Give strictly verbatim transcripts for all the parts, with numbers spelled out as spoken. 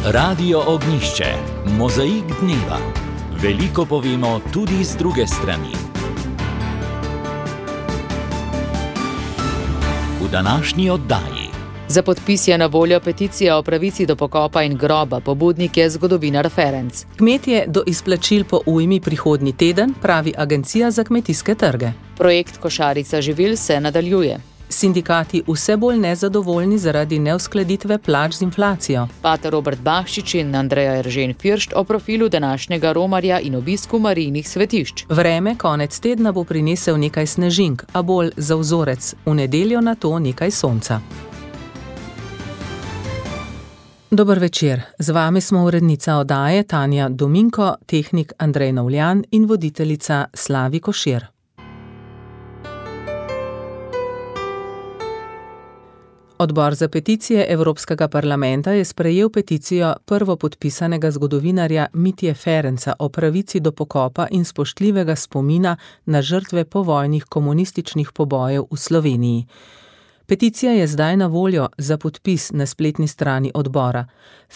Radio Ognjišče, mozaik dneva. Veliko povemo tudi z druge strani. V današnji oddaji. Za podpis je na voljo peticija o pravici do pokopa in groba, pobudnik je zgodovinar Ferenc. Kmetje do izplačil po ujmi prihodnji teden, pravi Agencija za kmetijske trge. Projekt Košarica živil se nadaljuje. Sindikati vse bolj nezadovoljni zaradi neuskladitve plač z inflacijo. Pater Robert Bahšič in Andreja Eržen Firšt o profilu današnjega romarja in obisku Marijnih svetišč. Vreme konec tedna bo prinesel nekaj snežink, a bolj za vzorec, v nedeljo na to nekaj sonca. Dober večer, z vami smo urednica oddaje Tanja Dominko, tehnik Andrej Novljan in voditeljica Slavi Košir. Odbor za peticije Evropskega parlamenta je sprejel peticijo prvopodpisanega zgodovinarja Mitje Ferenca o pravici do pokopa in spoštljivega spomina na žrtve povojnih komunističnih pobojev v Sloveniji. Peticija je zdaj na voljo za podpis na spletni strani odbora.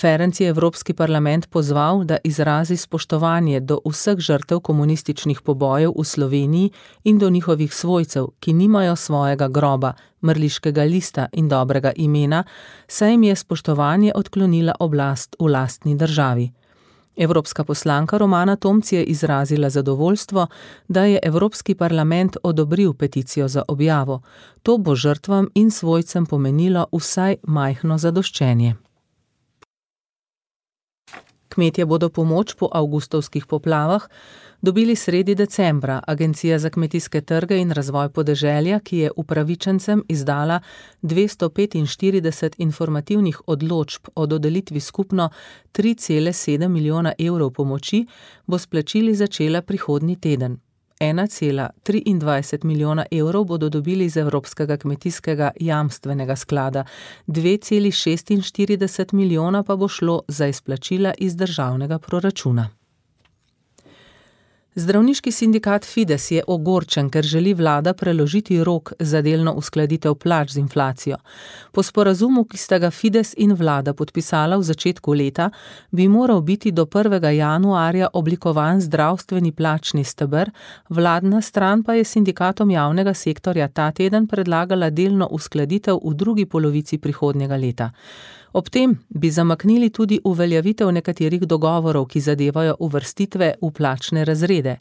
Ferenc je Evropski parlament pozval, da izrazi spoštovanje do vseh žrtev komunističnih pobojev v Sloveniji in do njihovih svojcev, ki nimajo svojega groba, mrliškega lista in dobrega imena, saj jim je spoštovanje odklonila oblast v lastni državi. Evropska poslanka Romana Tomc je izrazila zadovoljstvo, da je Evropski parlament odobril peticijo za objavo. To bo žrtvam in svojcem pomenilo vsaj majhno zadoščenje. Kmetje bodo pomoč po avgustovskih poplavah dobili sredi decembra. Agencija za kmetijske trge in razvoj podeželja, ki je upravičencem izdala dvesto petinštirideset informativnih odločb o dodelitvi skupno tri cele sedem milijona evrov pomoči, bo s plačili začela prihodnji teden. ena cela triindvajset milijona evrov bodo dobili iz Evropskega kmetijskega jamstvenega sklada, dve celi šestinštirideset milijona pa bo šlo za izplačila iz državnega proračuna. Zdravniški sindikat Fides je ogorčen, ker želi vlada preložiti rok za delno uskladitev plač z inflacijo. Po sporazumu, ki sta ga Fides in vlada podpisala v začetku leta, bi moral biti do prvega januarja oblikovan zdravstveni plačni steber, vladna stran pa je sindikatom javnega sektorja ta teden predlagala delno uskladitev v drugi polovici prihodnjega leta. Ob tem bi zamaknili tudi uveljavitev nekaterih dogovorov, ki zadevajo uvrstitve v plačne razrede.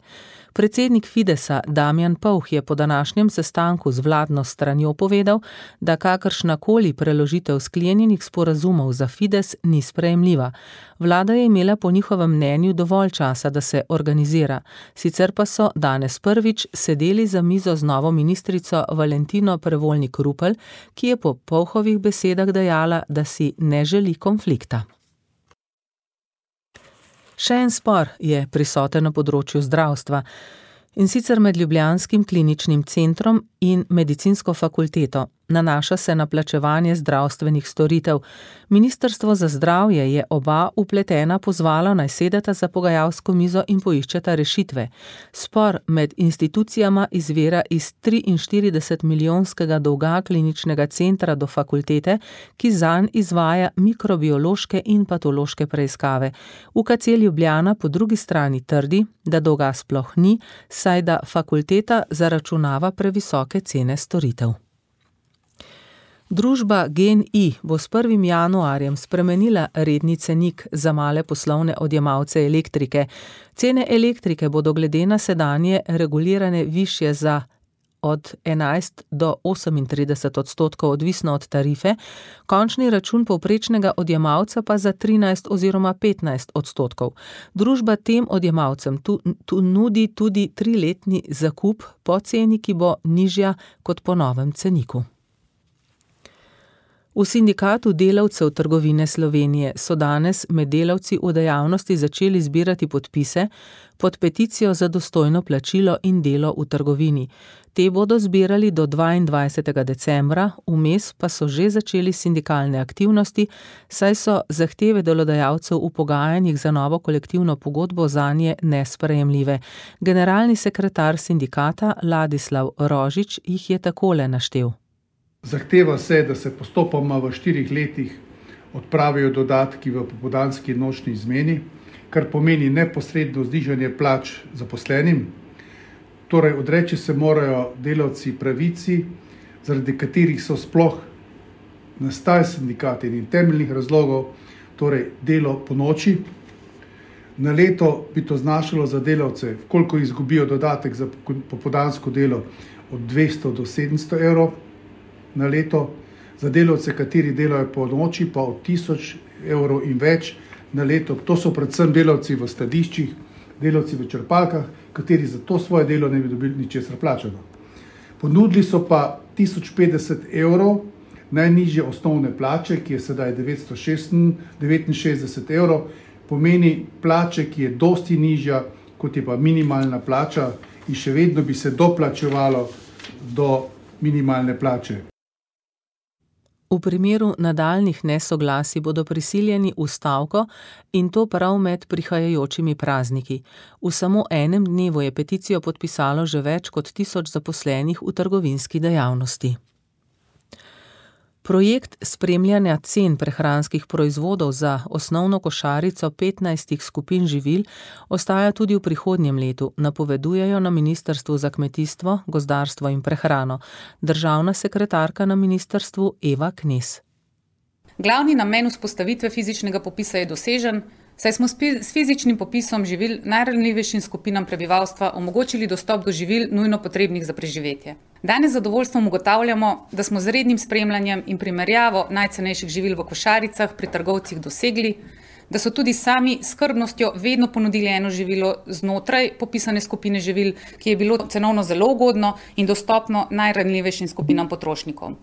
Predsednik Fidesa Damjan Povh je po današnjem sestanku z vladno stranjo povedal, da kakršnakoli preložitev sklenjenih sporazumov za Fides ni sprejemljiva. Vlada je imela po njihovem mnenju dovolj časa, da se organizira. Sicer pa so danes prvič sedeli za mizo z novo ministrico Valentino Prevolnik-Rupel, ki je po Povhovih besedah dejala, da si ne želi konflikta. Še en spor je prisoten na področju zdravstva, in sicer med Ljubljanskim kliničnim centrom in medicinsko fakulteto. Nanaša se na plačevanje zdravstvenih storitev. Ministrstvo za zdravje je oba vpletena pozvala, naj sedeta za pogajalsko mizo in poiščeta rešitve. Spor med institucijama izvira iz triinštirideset milijonskega dolga kliničnega centra do fakultete, ki zanj izvaja mikrobiološke in patološke preiskave. U K C Ljubljana po drugi strani trdi, da dolga sploh ni, saj da fakulteta zaračunava previsoke cene storitev. Družba GEN-I bo s prvim januarjem spremenila redni cenik za male poslovne odjemalce elektrike. Cene elektrike bodo glede na sedanje regulirane višje za od enajst do osemintrideset odstotkov, odvisno od tarife, končni račun povprečnega odjemalca pa za trinajst oziroma petnajst odstotkov. Družba tem odjemalcem tu, tu nudi tudi triletni zakup po ceni, ki bo nižja kot po novem ceniku. V sindikatu delavcev trgovine Slovenije so danes med delavci v dejavnosti začeli zbirati podpise pod peticijo za dostojno plačilo in delo v trgovini. Te bodo zbirali do dvaindvajsetega decembra, vmes pa so že začeli sindikalne aktivnosti, saj so zahteve delodajalcev v pogajanjih za novo kolektivno pogodbo zanje nesprejemljive. Generalni sekretar sindikata Ladislav Rožič jih je takole naštel. Zahteva se, da se postopoma v štirih letih odpravijo dodatki v popoldanski in nočni izmeni, kar pomeni neposredno znižanje plač zaposlenim. Torej, odreči se morajo delavci pravici, zaradi katerih so sploh nastajali sindikati in temeljnih razlogov, torej delo po noči. Na leto bi to znašalo za delavce, koliko izgubijo dodatek za popoldansko delo, od dvesto do sedemsto evrov na leto, za delavce, kateri delajo po noči, pa od tisoč evrov in več na leto. To so predvsem delavci v skladiščih, delavci v črpalkah, kateri za to svoje delo ne bi dobili ničesar plačano. Ponudili so pa tisoč petdeset evrov najnižje osnovne plače, ki je sedaj devetsto devetinšestdeset evrov, pomeni plače, ki je dosti nižja, kot je pa minimalna plača in še vedno bi se doplačevalo do minimalne plače. V primeru nadaljnjih nesoglasij bodo prisiljeni v stavko in to prav med prihajajočimi prazniki. V samo enem dnevu je peticijo podpisalo že več kot tisoč zaposlenih v trgovinski dejavnosti. Projekt spremljanja cen prehranskih proizvodov za osnovno košarico petnajstih skupin živil ostaja tudi v prihodnjem letu, napovedujejo na Ministrstvu za kmetijstvo, gozdarstvo in prehrano. Državna sekretarka na ministrstvu Eva Knez. Glavni namen vzpostavitve fizičnega popisa je dosežen, saj smo s fizičnim popisom živil najranljivejšim skupinam prebivalstva omogočili dostop do živil nujno potrebnih za preživetje. Danes z zadovoljstvom ugotavljamo, da smo z rednim spremljanjem in primerjavo najcenejših živil v košaricah pri trgovcih dosegli, da so tudi sami s skrbnostjo vedno ponudili eno živilo znotraj popisane skupine živil, ki je bilo cenovno zelo ugodno in dostopno najranljivejšim skupinam potrošnikov.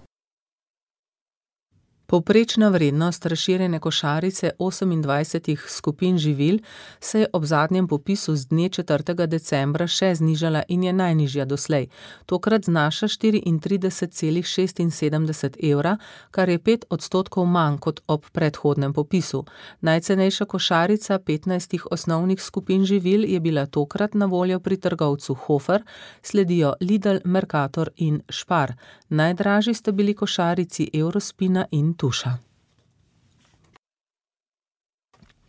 Povprečna vrednost razširjene košarice osemindvajsetih skupin živil se je ob zadnjem popisu z dne četrtega decembra še znižala in je najnižja doslej. Tokrat znaša štiriintrideset celih šestinsedemdeset evra, kar je pet odstotkov manj kot ob predhodnem popisu. Najcenejša košarica petnajstih osnovnih skupin živil je bila tokrat na voljo pri trgovcu Hofer, sledijo Lidl, Mercator in Spar. Najdražji sta bili košarici Eurospina in Tuša.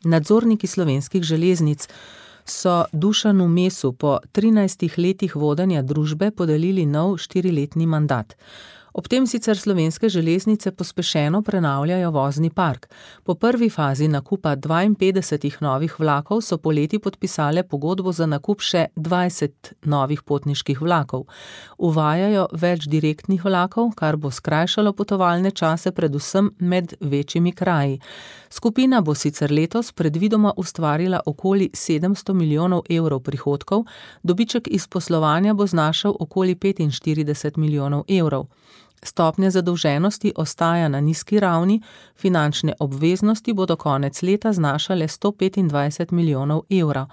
Nadzorniki Slovenskih železnic so Dušanu Mesu po trinajstih letih vodenja družbe podelili nov štiriletni mandat. Ob tem sicer Slovenske železnice pospešeno prenavljajo vozni park. Po prvi fazi nakupa dvainpetdesetih novih vlakov so poleti podpisale pogodbo za nakup še dvajset novih potniških vlakov. Uvajajo več direktnih vlakov, kar bo skrajšalo potovalne čase predvsem med večjimi kraji. Skupina bo sicer letos predvidoma ustvarila okoli sedemsto milijonov evrov prihodkov, dobiček iz poslovanja bo znašal okoli petinštirideset milijonov evrov. Stopnja zadolženosti ostaja na nizki ravni, finančne obveznosti bodo konec leta znašale sto petindvajset milijonov evrov.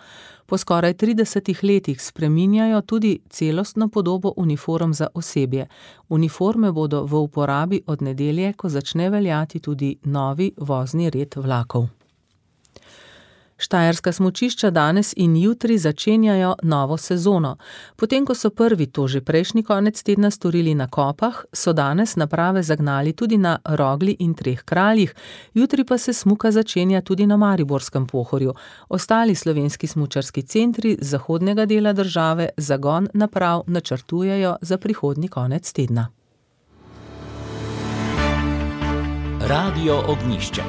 Po skoraj tridesetih letih spreminjajo tudi celostno podobo uniform za osebje. Uniforme bodo v uporabi od nedelje, ko začne veljati tudi novi vozni red vlakov. Štajerska smučišča danes in jutri začenjajo novo sezono. Potem, ko so prvi to že prejšnji konec tedna storili na Kopah, so danes naprave zagnali tudi na Rogli in Treh kraljih, jutri pa se smuka začenja tudi na Mariborskem Pohorju. Ostali slovenski smučarski centri z zahodnega dela države zagon naprav načrtujejo za prihodnji konec tedna. Radio Ognjišče.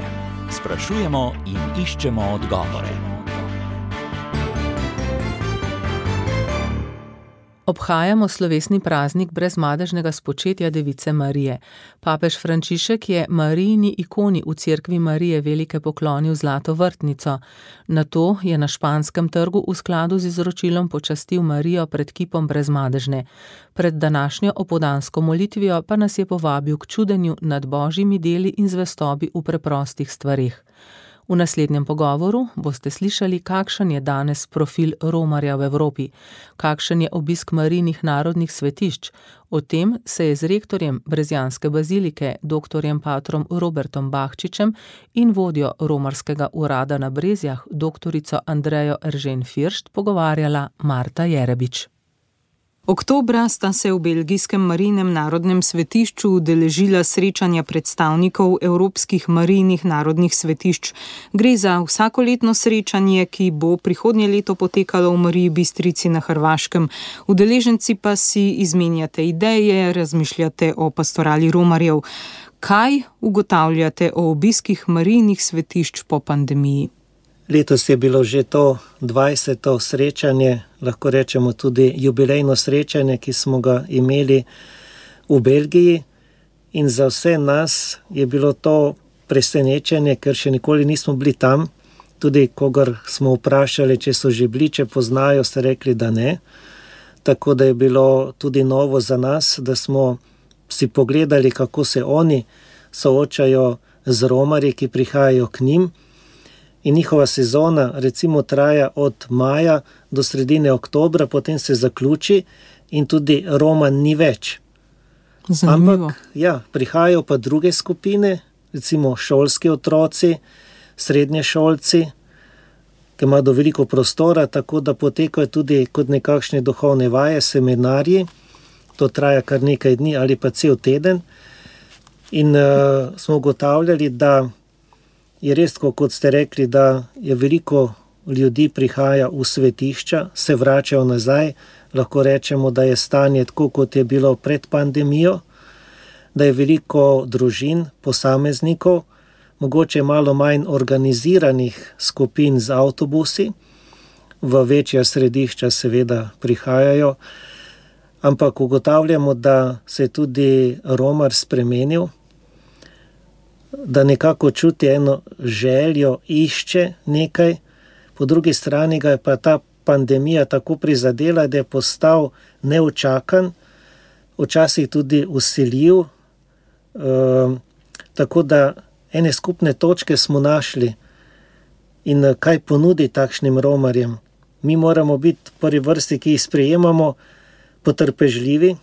Sprašujemo in iščemo odgovore. Obhajamo slovesni praznik brezmadežnega spočetja Device Marije. Papež Frančišek je Marijini ikoni v Cerkvi Marije Velike poklonil zlato vrtnico. Nato je na Španskem trgu v skladu z izročilom počastil Marijo pred kipom brezmadežne. Pred današnjo opoldansko molitvijo pa nas je povabil k čudenju nad božjimi deli in zvestobi v preprostih stvareh. V naslednjem pogovoru boste slišali, kakšen je danes profil romarja v Evropi, kakšen je obisk Marijinih narodnih svetišč. O tem se je z rektorjem Brezjanske bazilike, doktorjem patrom Robertom Bahčičem in vodjo romarskega urada na Brezjah, doktorico Andrejo Eržen Firšt, pogovarjala Marta Jerebič. Oktobra sta se v belgijskem Marijinem narodnem svetišču udeležila srečanja predstavnikov evropskih marijnih narodnih svetišč. Gre za vsakoletno srečanje, ki bo prihodnje leto potekalo v Mariji Bistrici na Hrvaškem. Udeleženci pa si izmenjate ideje, razmišljate o pastorali romarjev. Kaj ugotavljate o obiskih marijnih svetišč po pandemiji? Letos je bilo že to dvajseto srečanje, lahko rečemo tudi jubilejno srečanje, ki smo ga imeli v Belgiji, in za vse nas je bilo to presenečenje, ker še nikoli nismo bili tam. Tudi kogar smo vprašali, če so že bili, če poznajo, ste rekli, da ne. Tako da je bilo tudi novo za nas, da smo si pogledali, kako se oni soočajo z romarji, ki prihajajo k njim. In njihova sezona recimo traja od maja do sredine oktobra, potem se zaključi in tudi Roman ni več. Zanimivo. Ampak ja, prihajajo pa druge skupine, recimo šolski otroci, srednješolci, ki imajo veliko prostora, tako da potekajo tudi kot nekakšne duhovne vaje, seminarji. To traja kar nekaj dni ali pa cel teden. In uh, smo ugotavljali, da je res, kot ste rekli, da je veliko ljudi prihaja v svetišča, se vračajo nazaj. Lahko rečemo, da je stanje tako, kot je bilo pred pandemijo, da je veliko družin, posameznikov, mogoče malo manj organiziranih skupin z avtobusi, v večja središča seveda prihajajo, ampak ugotavljamo, da se je tudi romar spremenil, da nekako čuti eno željo, išče nekaj, po drugi strani ga je pa ta pandemija tako prizadela, da je postal neučakan, včasih tudi vsiljiv, e, tako da ene skupne točke smo našli. In kaj ponudi takšnim romarjem? Mi moramo biti v prvi vrsti, ki jih sprejemamo, potrpežljivi,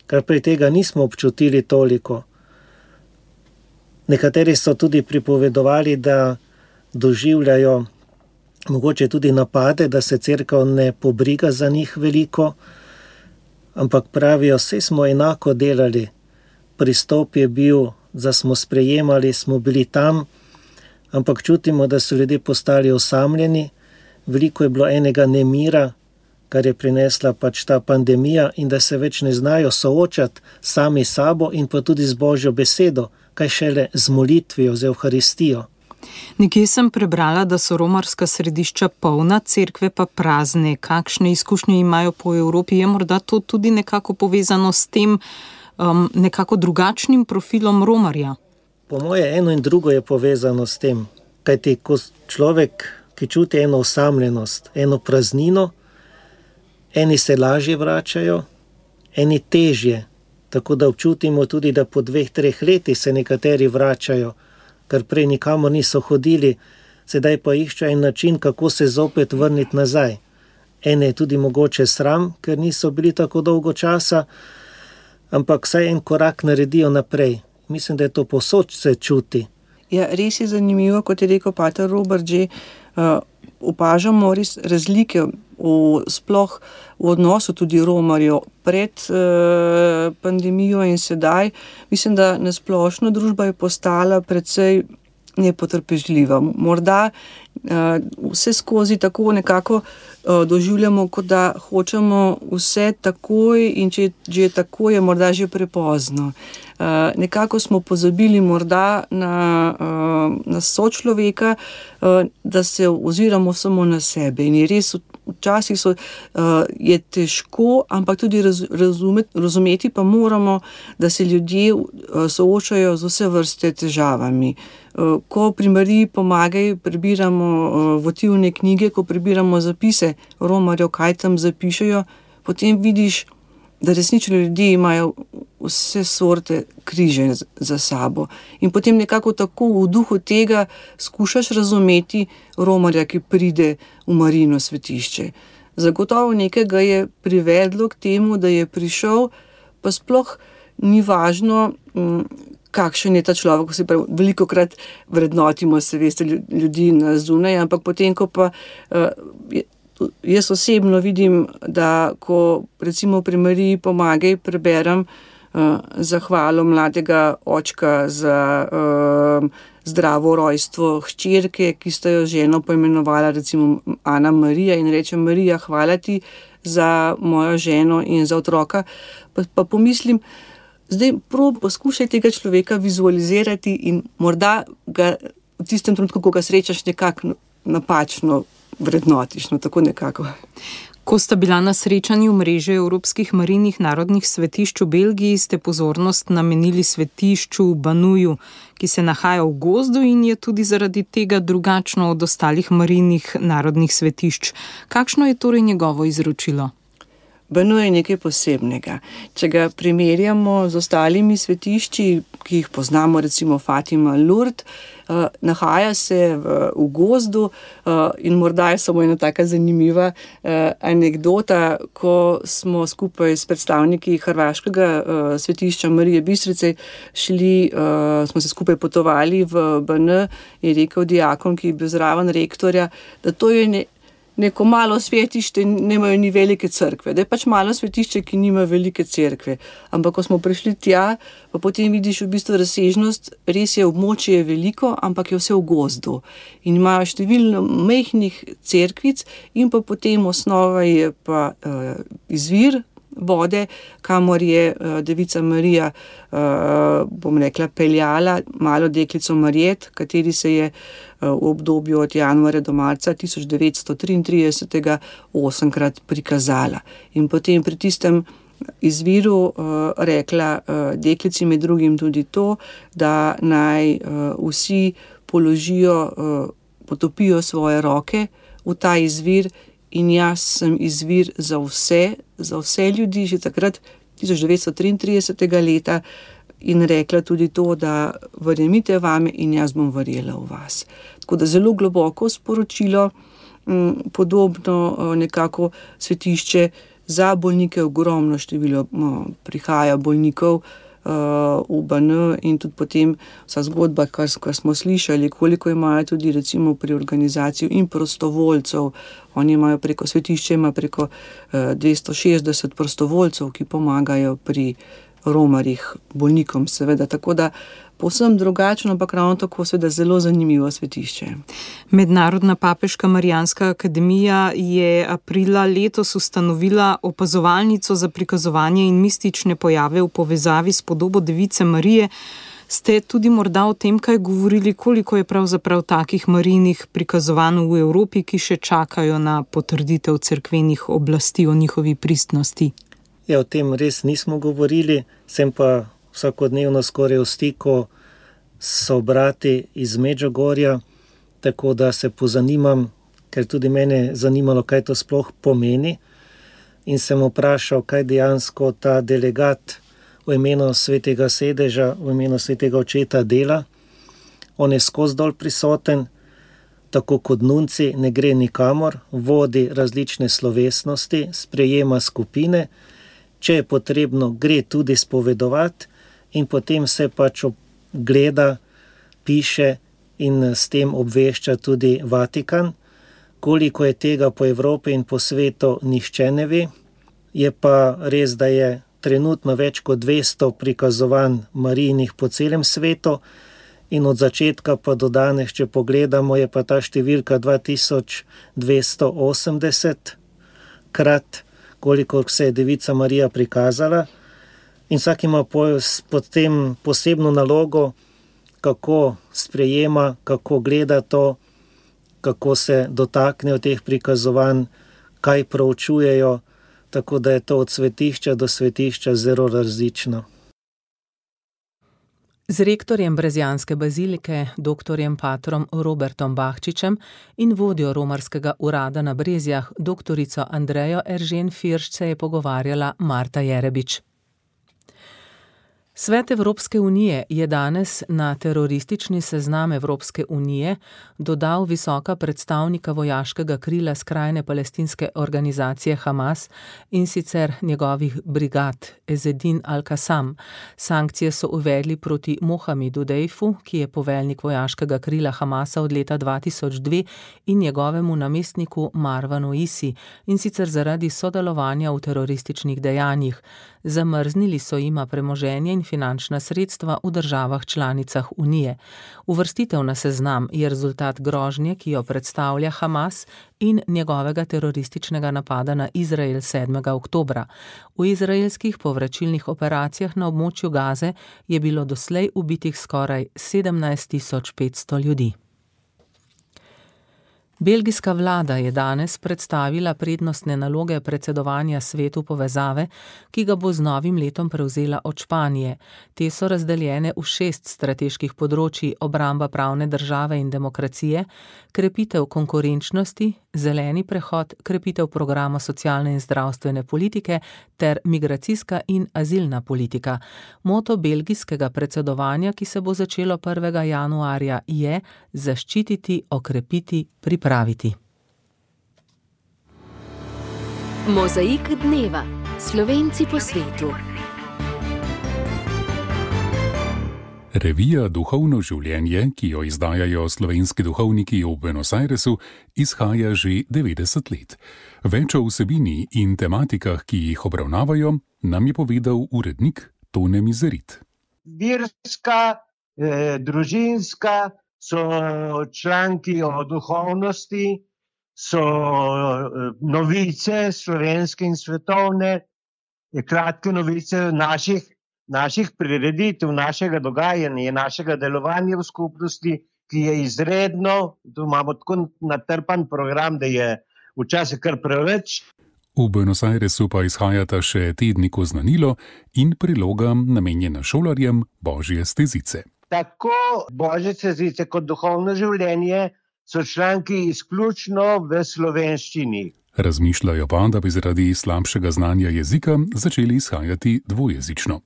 kar prej tega nismo občutili toliko. Nekateri so tudi pripovedovali, da doživljajo mogoče tudi napade, da se cerkev ne pobriga za njih veliko, ampak pravijo, vse smo enako delali. Pristop je bil, da smo sprejemali, smo bili tam, ampak čutimo, da so ljudje postali osamljeni, veliko je bilo enega nemira, kar je prinesla pač ta pandemija, in da se več ne znajo soočati sami sabo in pa tudi z Božjo besedo, kaj šele z molitvijo, z Evharistijo. Nekje sem prebrala, da so romarska središča polna, cerkve pa prazne. Kakšne izkušnje imajo po Evropi? Je morda to tudi nekako povezano s tem um, nekako drugačnim profilom romarja? Po moje eno in drugo je povezano s tem, kajti ko človek, ki čuti eno osamljenost, eno praznino, eni se lažje vračajo, eni težje. Tako da občutimo tudi, da po dveh, treh letih se nekateri vračajo, ker prej nikamor niso hodili, sedaj pa iščejo en način, kako se zopet vrniti nazaj. Ene je tudi mogoče sram, ker niso bili tako dolgo časa, ampak vsaj en korak naredijo naprej. Mislim, da je to povsod se čuti. Ja, res je zanimivo, kot je rekel pater Robert, že uh, opažamo res razlike v, sploh v odnosu tudi romarjev pred uh, pandemijo in sedaj. Mislim, da nasplošno družba je postala precej nepotrpežljiva. Morda uh, vse skozi tako nekako uh, doživljamo, kot da hočemo vse takoj, in če že tako je morda že prepozno. Uh, nekako smo pozabili morda na, uh, na sočloveka, uh, da se oziramo samo na sebe. In je res, včasih so, uh, je težko, ampak tudi raz, razumeti, razumeti pa moramo, da se ljudje uh, soočajo z vse vrste težavami. Uh, ko pri Mariji Pomagaj prebiramo uh, votivne knjige, ko prebiramo zapise romarjev, kaj tam zapišejo, potem vidiš, da resnično ljudje imajo vse sorte križe za sabo. In potem nekako tako v duhu tega skušaš razumeti romarja, ki pride v Marijino svetišče. Zagotovo nekaj ga je privedlo k temu, da je prišel, pa sploh ni važno, kakšen je ta človek. Se pravi, velikokrat vrednotimo, se veste, ljudi na zunaj, ampak potem, ko pa Jaz osebno vidim, da ko recimo pri Mariji Pomagaj preberem uh, zahvalo mladega očka za uh, zdravo rojstvo hčerke, ki sta jo ženo poimenovala recimo Ana Marija in reče: Marija, hvala ti za mojo ženo in za otroka. Pa, pa pomislim, zdaj prav poskušaj tega človeka vizualizirati in morda ga v tistem trenutku, ko ga srečaš, nekako napačno vrednotiš, no tako nekako. Ko sta bila na srečanju mreže Evropskih marijnih narodnih svetišč v Belgiji, ste pozornost namenili svetišču v Banuju, ki se nahaja v gozdu in je tudi zaradi tega drugačno od ostalih marijnih narodnih svetišč. Kakšno je torej njegovo izročilo? Banuj je nekaj posebnega. Če ga primerjamo z ostalimi svetišči, ki jih poznamo, recimo Fatima, Lourdes, uh, nahaja se v, v gozdu uh, in morda je samo ena taka zanimiva uh, anekdota, ko smo skupaj s predstavniki hrvaškega uh, svetišča Marije Bistrice šli, uh, smo se skupaj potovali v B N, je rekel diakon, ki je bil zraven rektorja, da to je ne neko malo svetišče, nemajo ni velike cerkve, da je pač malo svetišče, ki nima velike cerkve. Ampak ko smo prišli tja, pa potem vidiš v bistvu razsežnost, res je, območje je veliko, ampak je vse v gozdu. In imajo številno majhnih cerkvic in pa potem osnova je pa uh, izvir vode, kamor je uh, devica Marija, uh, bom rekla, peljala malo deklico Marijet, kateri se je uh, v obdobju od januarja do marca tisoč devetsto triintrideset osemkrat prikazala. In potem pri tistem izviru uh, rekla uh, deklici med drugim tudi to, da naj uh, vsi položijo, uh, potopijo svoje roke v ta izvir. In jaz sem izvir za vse, za vse ljudi, že takrat tisoč devetsto triintrideset leta in rekla tudi to, da verjemite vame in jaz bom verjela v vas. Tako da zelo globoko sporočilo, podobno nekako svetišče za bolnike, ogromno število prihaja bolnikov v B N in tudi potem vsa zgodba, kar, kar smo slišali, koliko imajo tudi recimo pri organizaciji in prostovoljcev. Oni imajo preko svetišča, ima preko dvesto šestdeset prostovoljcev, ki pomagajo pri romarjih, bolnikom seveda, tako da povsem drugačno, ampak ravno tako seveda zelo zanimivo svetišče. Mednarodna papeška Marijanska akademija je aprila letos ustanovila opazovalnico za prikazovanje in mistične pojave v povezavi s podobo device Marije. Ste tudi morda o tem kaj govorili, koliko je pravzaprav takih marijnih prikazovanj v Evropi, ki še čakajo na potrditev cerkvenih oblasti o njihovi pristnosti? Ja, o tem res nismo govorili, sem pa vsakodnevno skoraj v stiku s brati iz Medžugorja, tako da se pozanimam, ker tudi mene zanimalo, kaj to sploh pomeni. In sem vprašal, kaj dejansko ta delegat v imenu Svetega sedeža, v imenu Svetega očeta dela. On je skozi dol prisoten, tako kot nunci, ne gre nikamor, vodi različne slovesnosti, sprejema skupine, če je potrebno, gre tudi spovedovati in potem se pač gleda, piše in s tem obvešča tudi Vatikan. Koliko je tega po Evropi in po svetu, nihče ne ve. Je pa res, da je trenutno več kot dvesto prikazovanj Marijinih po celem svetu in od začetka pa do danes, če pogledamo, je pa ta številka dva tisoč dvesto osemdeset krat, koliko se je devica Marija prikazala. In vsak ima potem posebno nalogo, kako sprejema, kako gleda to, kako se dotaknejo teh prikazovanj, kaj proučujejo, tako da je to od svetišča do svetišča zelo različno. Z rektorjem Brezjanske bazilike, doktorjem patrom Robertom Bahčičem in vodjo romarskega urada na Brezjah, doktorico Andrejo Eržen Firšt, se je pogovarjala Marta Jerebič. Svet Evropske unije je danes na teroristični seznam Evropske unije dodal visoka predstavnika vojaškega krila skrajne palestinske organizacije Hamas, in sicer njegovih brigad Ezedin al-Qassam. Sankcije so uvedli proti Mohamedu Dejfu, ki je poveljnik vojaškega krila Hamasa od leta dva tisoč dve, in njegovemu namestniku Marwanu Isi, in sicer zaradi sodelovanja v terorističnih dejanjih. Zamrznili so jima premoženje in finančna sredstva v državah članicah Unije. Uvrstitev na seznam je rezultat grožnje, ki jo predstavlja Hamas, in njegovega terorističnega napada na Izrael sedmega oktobra. V izraelskih povračilnih operacijah na območju Gaze je bilo doslej ubitih skoraj sedemnajst tisoč petsto ljudi. Belgijska vlada je danes predstavila prednostne naloge predsedovanja Svetu povezave, ki ga bo z novim letom prevzela od Španije. Te so razdeljene v šest strateških področij: obramba pravne države in demokracije, krepitev konkurenčnosti, zeleni prehod, krepitev programa socialne in zdravstvene politike ter migracijska in azilna politika. Moto belgijskega predsedovanja, ki se bo začelo prvega januarja, je zaščititi, okrepiti, pripraviti. Praviti. Mozaik dneva. Slovenci po svetu. Revija Duhovno življenje, ki jo izdajajo slovenski duhovniki v Buenos Airesu, izhaja že devetdeset let. Več o vsebini in tematikah, ki jih obravnavajo, nam je povedal urednik Tone Mizerit. Verska, eh, družinska, so članki o duhovnosti, so novice slovenske in svetovne, kratke novice naših, naših prireditev, našega dogajanja, našega delovanja v skupnosti, ki je izredno, tu imamo tako natrpan program, da je včasih kar preveč. V Buenos Airesu pa izhajata še tednik Oznanilo in priloga namenjena šolarjem Božje stezice. Tako Božje stezice kot duhovno življenje so članki izključno v slovenščini. Razmišljajo pa, da bi zaradi slabšega znanja jezika začeli izhajati dvojezično.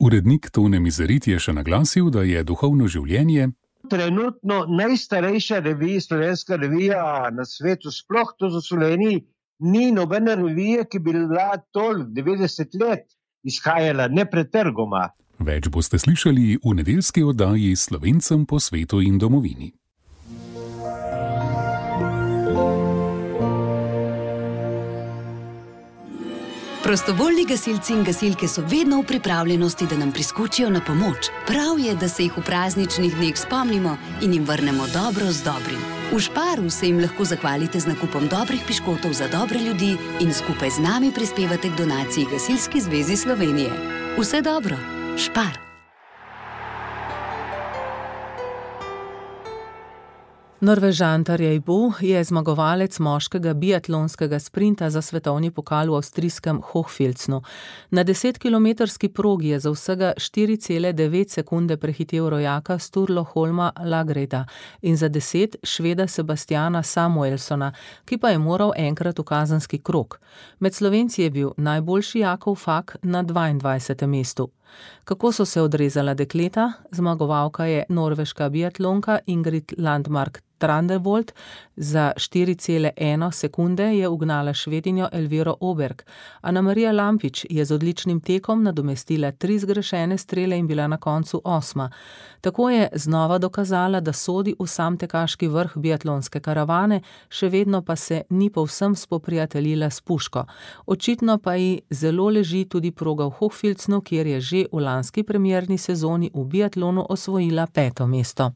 Urednik Tone Mizerit je še naglasil, da je duhovno življenje trenutno najstarejša revija, slovenska revija na svetu, sploh to v Sloveniji, ni nobena revija, ki bi bila toliko devetdeset let izhajala nepretrgoma. Več boste slišali v nedeljski oddaji Slovencem po svetu in domovini. Prostovoljni gasilci in gasilke so vedno v pripravljenosti, da nam priskočijo na pomoč. Prav je, da se jih v prazničnih dneh spomnimo in jim vrnemo dobro z dobrim. V Šparu se jim lahko zahvalite z nakupom dobrih piškotov za dobre ljudi in skupaj z nami prispevate k donaciji Gasilski zvezi Slovenije. Vse dobro! Špar. Norvežan Tarjei Bo je zmagovalec moškega biatlonskega sprinta za svetovni pokal v avstrijskem Hochfilznu. Na desetkilometrski progi je za vsega štiri cele devet sekunde prehitel rojaka Sturlo Holma Lagreda in za deset Šveda Sebastiana Samuelsona, ki pa je moral enkrat v kazenski krog. Med Slovenci je bil najboljši Jakov Fak na dvaindvajsetem mestu. Kako so se odrezala dekleta? Zmagovalka je norveška biatlonka Ingrid Landmark Trandevold. Za štiri cele ena sekunde je ugnala Švedinjo Elviro Oberg. Ana Marija Lampič je z odličnim tekom nadomestila tri zgrešene strele in bila na koncu osma. Tako je znova dokazala, da sodi v sam tekaški vrh biatlonske karavane, še vedno pa se ni povsem spoprijateljila s puško. Očitno pa ji zelo leži tudi proga v Hochfilznu, kjer je že v lanski premierni sezoni v biatlonu osvojila peto mesto.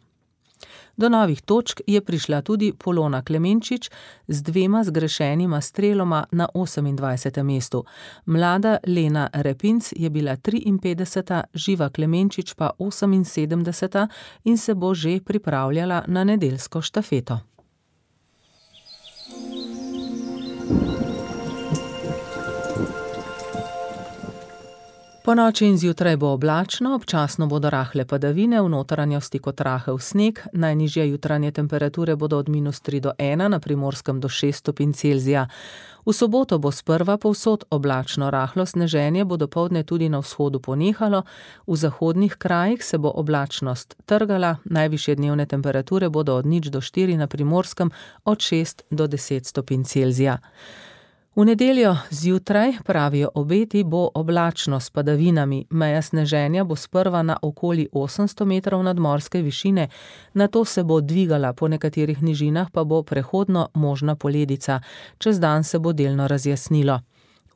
Do novih točk je prišla tudi Polona Klemenčič z dvema zgrešenima streloma na osemindvajsetem mestu. Mlada Lena Repinc je bila triinpetdeseta, Živa Klemenčič pa oseminsedemdeseta in se bo že pripravljala na nedeljsko štafeto. Po noči in zjutraj bo oblačno, občasno bodo rahle padavine, v notranjosti kot rahel sneg, najnižje jutranje temperature bodo od minus tri do ena, na Primorskem do šest stopinj Celzija. V soboto bo sprva povsod oblačno, rahlo sneženje bo dopoldne tudi na vzhodu ponehalo, v zahodnih krajih se bo oblačnost trgala, najvišje dnevne temperature bodo od nič do štiri, na Primorskem od šest do deset stopinj Celzija. V nedeljo zjutraj, pravijo obeti, bo oblačno s padavinami, meja sneženja bo sprva na okoli osemsto metrov nadmorske višine, nato se bo dvigala, po nekaterih nižinah pa bo prehodno možna poledica, čez dan se bo delno razjasnilo.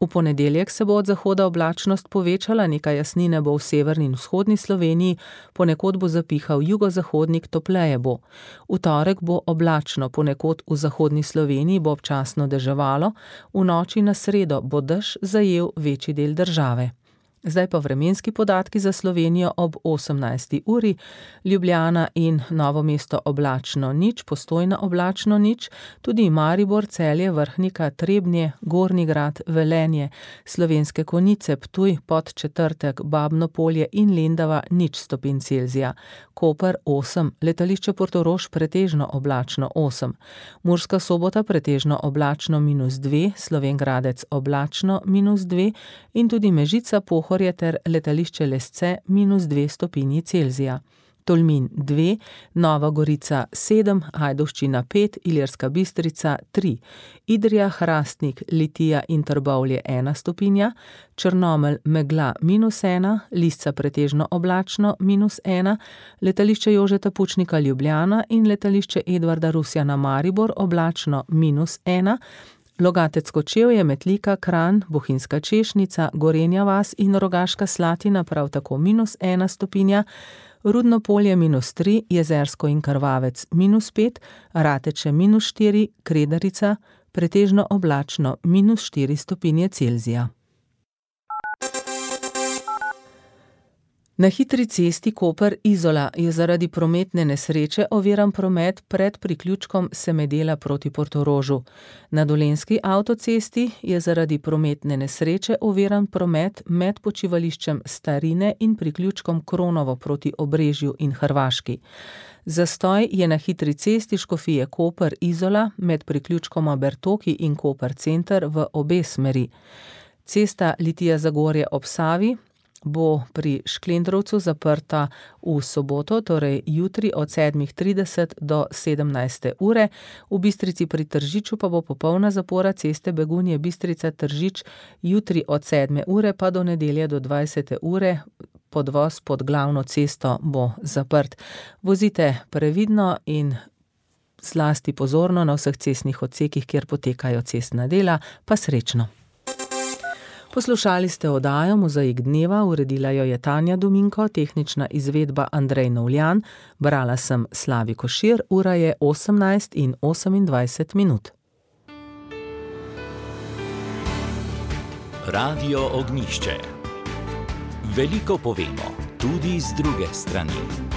V ponedeljek se bo od zahoda oblačnost povečala, nekaj jasnine bo v severni in vzhodni Sloveniji, ponekod bo zapihal jugozahodnik, topleje bo. V torek bo oblačno, ponekod v zahodni Sloveniji bo občasno deževalo, v noči na sredo bo dež zajel večji del države. Zdaj pa vremenski podatki za Slovenijo ob osemnajsti uri, Ljubljana in Novo mesto oblačno nič, Postojna oblačno nič, tudi Maribor, Celje, Vrhnika, Trebnje, Gornji Grad, Velenje, Slovenske Konjice, Ptuj, Podčetrtek, Babno Polje in Lendava nič stopinj Celzija, Koper osem, letališče Portorož pretežno oblačno osem, Murska Sobota pretežno oblačno minus dve, Slovenj Gradec oblačno minus dve in tudi Mežica, Pohorje ter letališče Lesce minus dve stopinji Celzija. Tolmin dve, Nova Gorica sedem, Ajdovščina pet, Ilirska Bistrica tri, Idrija, Hrastnik, Litija in Trbovlje ena stopinja, Črnomelj megla minus ena, Lisca pretežno oblačno minus ena, letališče Jožeta Pučnika Ljubljana in letališče Edvarda Rusjana Maribor oblačno minus ena, Logatec Kočevje, Metlika, Kranj, Bohinjska Češnica, Gorenja vas in Rogaška Slatina prav tako minus ena stopinja, Rudno Polje minus tri, Jezersko in Krvavec minus pet, Rateče minus štiri, Kredarica pretežno oblačno minus štiri stopinje Celzija. Na hitri cesti Koper-Izola je zaradi prometne nesreče oviran promet pred priključkom Semedela proti Portorožu. Na Dolenjski avtocesti je zaradi prometne nesreče oviran promet med počivališčem Starine in priključkom Kronovo proti Obrežju in Hrvaški. Zastoj je na hitri cesti Škofije Koper-Izola med priključkoma Bertoki in Koper center v obe smeri. Cesta Litija-Zagorje ob Savi bo pri Šklendrovcu zaprta v soboto, torej jutri od sedmih trideset do sedemnajste ure, v Bistrici pri Tržiču pa bo popolna zapora ceste Begunje Bistrica-Tržič jutri od sedme ure pa do nedelje do dvajsete ure, podvoz pod glavno cesto bo zaprt. Vozite previdno in zlasti pozorno na vseh cestnih odsekih, kjer potekajo cestna dela, pa srečno. Poslušali ste oddajo Mozaik dneva, uredila jo je Tanja Dominko, tehnična izvedba Andrej Novljan, brala sem Slavi Košir, ura je osemnajst in osemindvajset minut. Radio Ognjišče. Veliko povemo, tudi z druge strani.